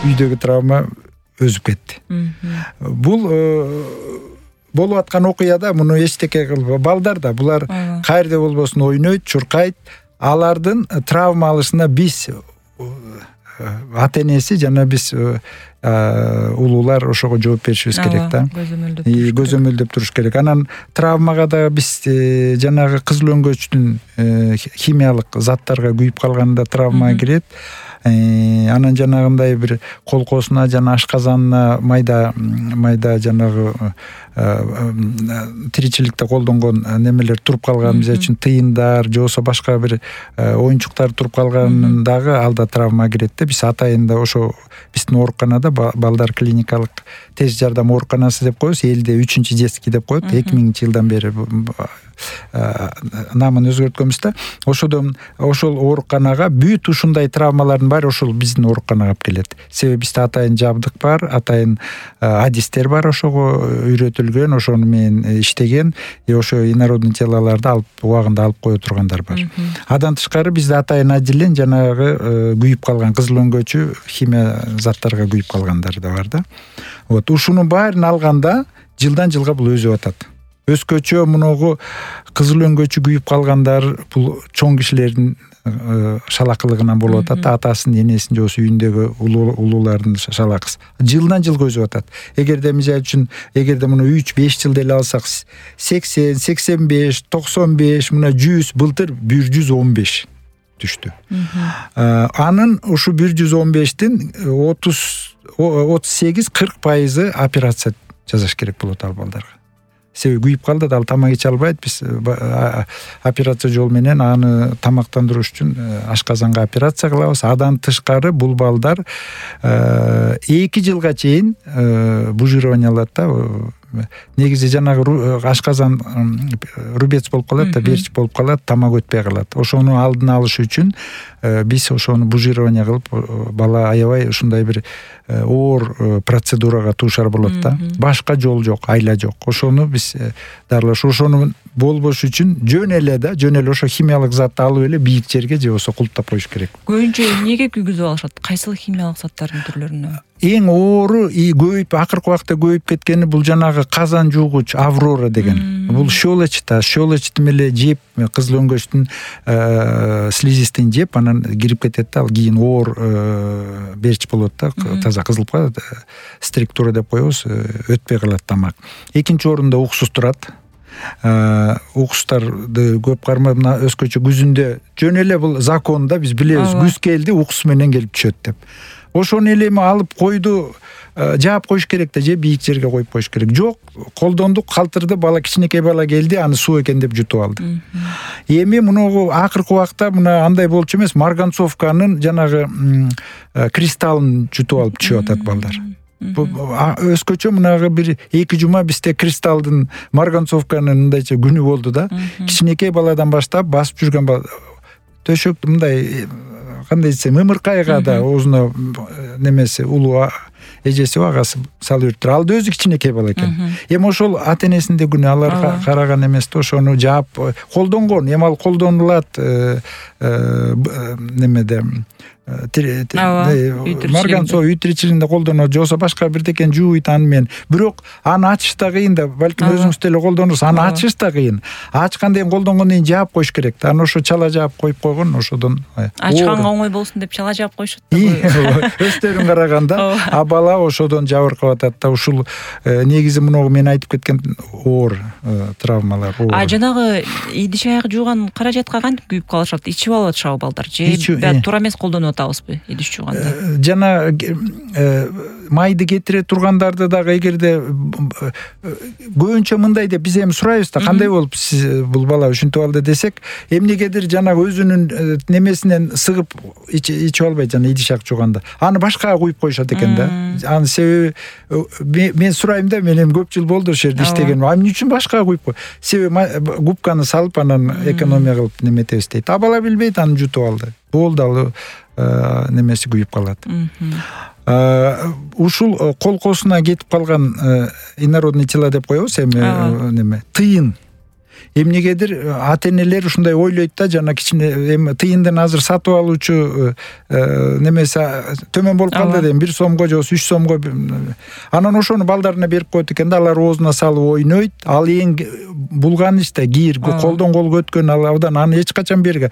үйдөгү травма өзүп кетти. Бул болуп аткан окуяда муну эчтеке кылбай балдар да булар каерде болбосун ойнойт, чуркайт. Алардын травма алышына биз ата-энеси жана биз улуулар ошого жооп беришибиз керек да. Көзөмөлдөп туруш керек. Анан травмага да биз жанагы кызыл өңгөчтүн химиялык заттарга күйүп калганда травма кирет. Анан жанагындай бир колкосуна жана ашказанына майда жанагы тиричиликте колдонгон немелер туруп калган, мисалы үчүн тыйындар же болбосо башка бир оюнчуктар туруп калганындагы алда травма кирет да. Биз атайында ошо биздин ооруканада балдар клиникалык тез жардам ооруканасы деп коебуз, элде 3-чү детский деп коет. 2000-жылдан бери намын өзгөрткөнбүз да. Ошол ооруканага бүт ушундай травмалардын баары ошол биздин ооруканага алып келет. Себеби бизде атайын жабдык бар, атайын адистер бар, ошого үйрөтүлгөн, ошону менен иштеген, ошо инородный телолорду алып убагында алып кое тургандар бар. Адан тышкары бизде атайын отделен жанагы күйүп калган кызыл өңгөчү химия заттарга күйүп калгандар да бар да. Вот ушунун баарын алганда жылдан жылга бул өсүп атат. Өскөчө мунугу кызыл өңгөчү күйүп калгандар бул чоң кишилердин шалакылыгынан болуп атат. Атасынын, энесинин же болбосо үйүндөгү улуулардын шалакысы. Жылдан жылга өсүп атат. Эгерде мисалы үчүн муну 3-5 жыл деле алсак 80, 85, 95, мына 100, былтыр 115 түштү. Анын ушу 115тин 38-40% операция жасаш керек болот ал балдарга. Себеби күйүп калды да, ал тамак иче албайт. Биз операция жол менен аны тамактандырыш үчүн ашказанга операция кылабыз. Адан тышкары бул балдар 2 жылга чейин бужирование алат да. Негизи жанагы ашказан рубец болуп калат да, берчик болуп калат, тамак өтпөй калат. Ошону алдын алыш үчүн биз ошону бужирование кылып, бала аябай ушундай бир оор процедурага туушар болот да. Башка жол жок, айла жок. Ошону биз дарылаш, ошону болбош үчүн жөн эле ошо химиялык затты алып эле бийик жерге же болбосо кулуптап коюш керек. Көбүнчө эмнеге күйгүзүп алышат? Кайсыл химиялык заттардын түрлөрүнө? Эң оору көбөйүп, акыркы убакта көбөйүп кеткени бул жанагы казан жуугуч Аврора деген. Бул щелочты меле жеп, кызыл өңгөчтүн слизистин жеп, анан кирип кетет да, ал кийин оор берч болот да, таза кызылып калат, структура деп коебуз, өтпөй калат тамак. Экинчи орунда уксус турат. Уксустарды көп кармап, мына өскөчө күзүндө жөн эле бул закон да, биз билебиз, күз келди, уксус менен келип түшөт деп. Ошону эле алып койду, жаап коюш керек да, же бийик жерге коюп коюш керек. Жок, колдондук, калтырды, бала, кичинекей бала келди, аны суу экен деп жутуп алды. Эми муну акыркы убакта мына андай болчу эмес, марганцовканын жанагы кристаллын жутуп алып түшүп атат балдар. Өскөчө мынагы бир 2 жума бизде кристалдын, марганцовканын мындайча күнү болду да. Кичинекей баладан баштап басып жүргөн бала төшөктү мындай кандай десем, ымыркайга да оозуна немеси улуу эжеси агасы салып жүрүптүр. Ал да өзү кичинекей бала экен. Эми ошол ата-энесинде күнү, алар караган эмес да, ошону жаап колдонгон. Эми ал колдонулат немеде марганцов үй тиричилигинде колдонот, же болбосо башка бирдекен жууйт аны менен. Бирок аны ачыш да кыйын да, балким өзүңүз деле колдонурсуз. Аны ачыш да кыйын. Ачкандан кийин колдонгондон кийин жаап коюш керек да. Аны ошо чала жаап коюп койгон, ошодон ачканга оңой болсун деп чала жаап коюшат да. Өздөрүн караганда, а бала ошодон жабыркап атат да. Ушул негизи муну мен айтып кеткен оор травмалар. Жанагы идиш аяк жууган каражатка кантип күйүп калышат? Ичип алып атышабы балдар? Же туура эмес колдонуп атабызбы идиш жууганда? Жана майды кетире тургандарды дагы эгерде көбүнчө мындай деп биз эми сурайбыз да, кандай болуп сиз бул бала ушинтип алды десек, эмнегедир жанагы өзүнүн немесинен сыгып ичип албайт, жана идиш аяк жууганда. Аны башкага куюп коюшат экен да. Аны себеби мен сурайм да, мен эми көп жыл болду ошол жерде иштегеним. Эмне үчүн башкага куюп кой? Себеби губканы салып анан экономия кылып неметебиз дейт. А бала билбейт, аны жутуп алды. Болду, ал немеси күйүп калат. Ушул колкосуна кетип калган инородный тела деп коебуз эми неме, тыйын. эмнегедир ата энелер ушундай ойлойт да, жана кичине эми тыйындын азыр сатып алуучу немеси төмөн болуп калды дейм, 1 сомго же 3 сомго. Анан ошону балдарына берип коет экен да, алар оозуна салып ойнойт. Ал эң булган иште кийир, колдон колго өткөн, ал абдан аны эч качан берге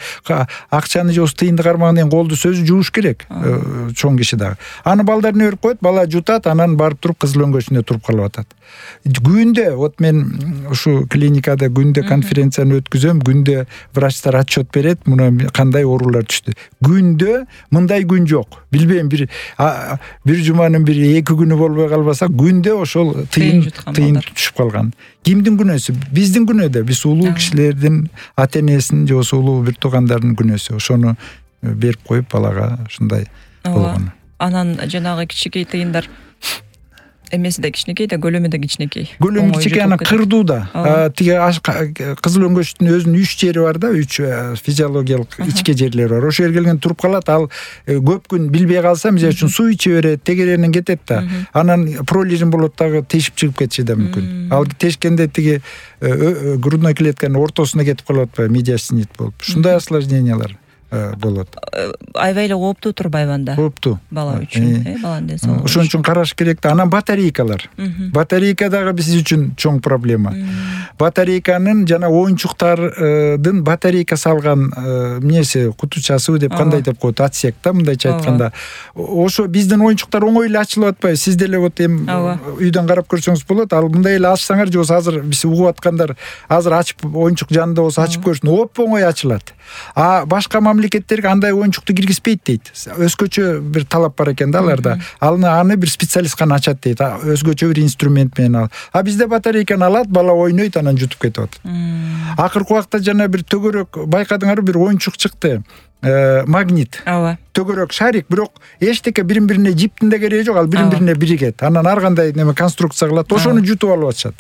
акчаны же тыйынды кармаган колду сөзү жууш керек, чоң киши дагы. Аны балдарына берип коет, бала жутат, анан барып туруп кызыл өңгөчүндө туруп калып атат. Күндө вот мен ушу клиникада күндө конференцияны өткүзөм, күндө врачтар отчет берет, мына кандай оорулар түштү. Күндө мындай күн жок. Билбейм, бир жуманын бир 2 күнү болбой калбаса, күндө ошол тыйын түшүп калган. Кимдин күнөөсү? Биздин күнөө да. Биз улуу кишилердин, ата энесинин же улуу бир туугандардын күнөөсү. Ошону берип коюп балага ушундай болгон. Анан жанагы кичинекей тыйындар эмеси да кичинекей да, көлөмү да кичинекей. Көлөмү кичинекей, анан кырдууда. Тиги кызыл өңгөчтүн өзүнүн 3 жери бар да, 3 физиологиялык ичке жерлери бар. Ошо жерге келген туруп калат. Ал көп күн билбей калса, мисалы үчүн суу иче берет, тегеренен кетет да. Анан пролижин болот дагы, тешип чыгып кетиши да мүмкүн. Ал тешкенде тиги грудной клетканын ортосуна кетип калып атпайбы, медиастинит болуп. Ушундай осложнениялар болот. Аябай эле кооптуу турбайбы анда? Кооптуу. Бала үчүн, баланын ден соолугу. Ошон үчүн караш керек да. Анан батарейкалар. Батарейка дагы биз үчүн чоң проблема. Батарейканын жана оюнчуктардын батарейка салган эмнеси, кутучасы деп кандай деп коет, отсек да, мындайча айтканда. Ошо биздин оюнчуктар оңой эле ачылып атпайбы. Сиз деле вот эми үйдөн карап көрсөңүз болот. Ал мындай эле ачсаңар же болбосо азыр биз угуп аткандар азыр ачып, оюнчук жанында болсо ачып көрсүн, оп-оңой ачылат. Башка мамлекеттерге андай оюнчукту киргизбейт дейт. Өзгөчө бир талап бар экен да аларда. Аны бир специалист гана ачат дейт. Өзгөчө бир инструмент менен ал. Бизде батарейканы алат, бала ойнойт, анан жутуп кетип атат. Акыркы убакта жана бир төгөрөк байкадыңарбы, бир оюнчук чыкты. Магнит. Төгөрөк шарик, бирок эчтеке бирин-бирине жиптин да кереги жок, ал бирин-бирине биригет. Анан ар кандай неме конструкция кылат, ошону жутуп алып атышат.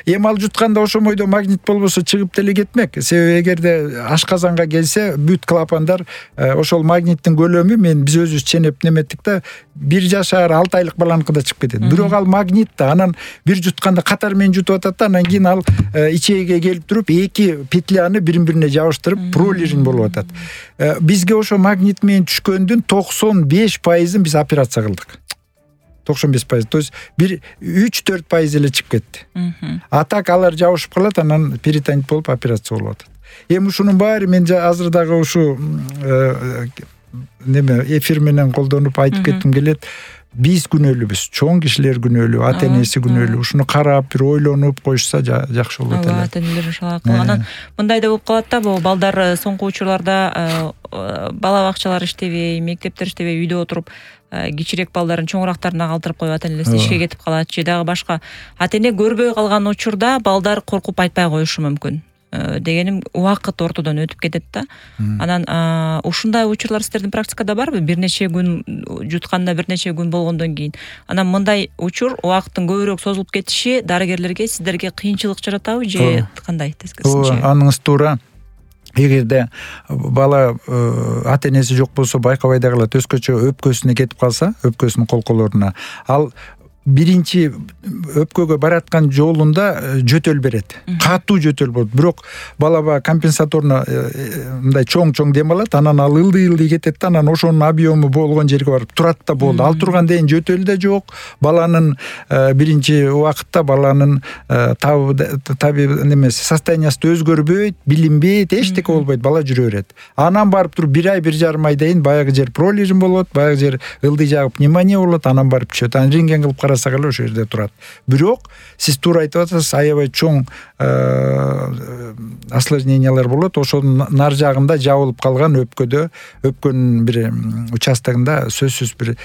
Эми ал жутканда ошо бойдо магнит болбосо чыгып деле кетмек. Себеби эгерде ашказанга келсе, бүт клапандар ошол магниттин көлөмү, биз өзүбүз ченеп неметтик да, 1 жашар 6 айлык баланыкыда чыгып кетет. Бирок ал магнит да, анан бир жутканда катар менен жутуп атат да, анан кийин ал ичеге келип туруп 2 петляны бирин-бирине жабыштырып пролижин болуп атат. Бизге ошо магнит менен түшкөндүн 95%-ын биз операция кылдык. 95%. То есть 3-4% эле чыгып кетти. А так алар жабышып калат, анан перитонит болуп операция болуп атат. Эми ушунун баары мен азыр дагы ушу эфир менен колдонуп айтып кетким келет. Биз күнөөлүүбүз, чоң кишилер күнөөлүү, ата энеси күнөөлүү. Ушуну карап, бир ойлонуп коюшса жакшы болот эле. Ата энелер ошол аркылуу. Анан мындай да болуп калат да, бул балдар соңку учурларда бала бакчалар иштебей, мектептер иштебей, үйдө отуруп кичирээк балдарын чоңурактарына калтырып коюп, ата энеси ишке кетип калат же дагы башка. Ата эне көрбөй калган учурда балдар коркуп айтпай коюшу мүмкүн. Дегеним, убакыт ортодон өтүп кетет да. Анан ушундай учурлар сиздердин практикада барбы? Бир нече күн жутканда, бир нече күн болгондон кийин. Анан мындай учур убакыттын көбүрөөк созулуп кетиши дарыгерлерге, сиздерге кыйынчылык жаратабы же кандай тескерисинче? Аныңыз туура. Эгерде бала ата энеси жок болсо байкабай да калат, өзгөчө өпкөсүнө кетип калса, өпкөсүнүн колколоруна, ал биринчи өпкөгө бараткан жолунда жөтөл берет. Катуу жөтөл болот. Бирок бала компенсаторно мындай чоң дем алат, анан ал ылдый кетет да, анан ошонун объему болгон жерге барып турат да болду. Ал турганда жөтөл да жок. Баланын биринчи убакытта баланын таби немеси состояниясы өзгөрбөйт, билинбейт, эчтеке болбойт, бала жүрө берет. Анан барып туруп 1 ай, 1,5 айдан баягы жер пролижин болот, баягы жер ылдый жагып пневмония болот, анан барып түшөт. Анан рентген кылып карасак эле ошол жерде турат. Бирок сиз туура айтып атасыз, аябай чоң осложнениялар болот. Ошонун нар жагында жабылып калган өпкөнүн бир участогунда сөзсүз бир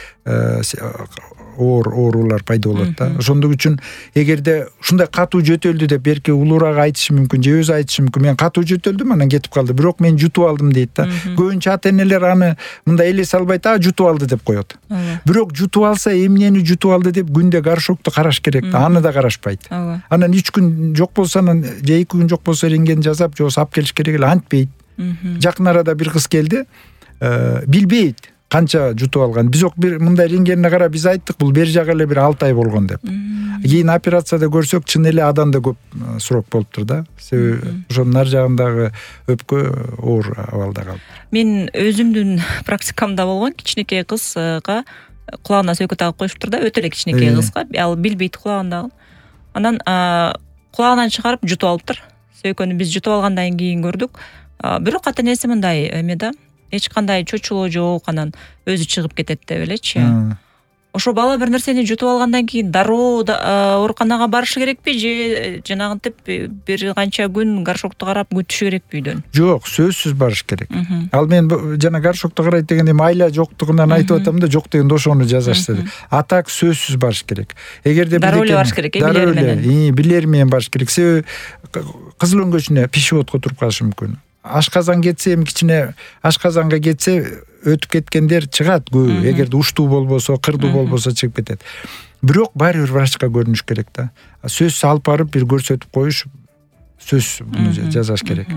оорулар пайда болот да. Ошондук үчүн эгерде ушундай катуу жөтөлдү деп берки улуураак айтышы мүмкүн, же өзү айтышы мүмкүн. Мен катуу жөтөлдүм, анан кетип калды. Бирок мен жутуп алдым дейт да. Көбүнчө ата энелер аны мындай элесе албайт, жутуп алды деп коет. Бирок жутуп алса, эмнени жутуп алды деп күндө горшокту караш керек да. Аны да карашпайт. Анан 3 күн жок болсо, анан же 2 күн жок болсо рентген жасап, же алып келиш керек эле, антпейт. Жакын арада бир кыз келди, билбейт. канча жутуп алган. Биз бир мындай рентгенине карап биз айттык бул бер жагы эле бир 6 ай болгон деп. Кийин операцияда көрсөк чын эле адан да көп срок болуптур да. Себеби ошонун нар жагындагы өпкө оор абалда калды. Мен өзүмдүн практикамда болгон кичинекей кызга кулагына сөйкө тагып коюшуптур да, өтө эле кичинекей кызга, ал билбейт кулагындагы. Анан кулагынан чыгарып жутуп алыптыр. Сөйкөнү биз жутуп алгандан кийин көрдүк. Бирок ата-энеси мындай эме да, эч кандай чочулоо жок, анан өзү чыгып кетет деп элечи. Ошо бала бир нерсени жутуп алгандан кийин дароо ооруканага барышы керекпи же жанагынтип бир канча күн горшокту карап күтүшү керекпи үйдөн? Жок, сөзсүз барыш керек. Ал мен жана горшокту карайт дегенде айла жоктугунан айтып атам да, жок дегенде ошону жазашты. А так сөзсүз барыш керек. Эгерде дароо эле барыш керек, билери менен. Билери менен барыш керек. Себеби кызыл өңгөчүнө пищеводко туруп калышы мүмкүн. Ашказан кетсе, эми кичине ашказанга кетсе өтүп кеткендер чыгат көбү. Эгерде уштуу болбосо, кырдуу болбосо чыгып кетет. Бирок баары бир врачка көрүнүш керек да. Сөзсүз алып барып бир көрсөтүп коюш, сөзсүз муну жазаш керек.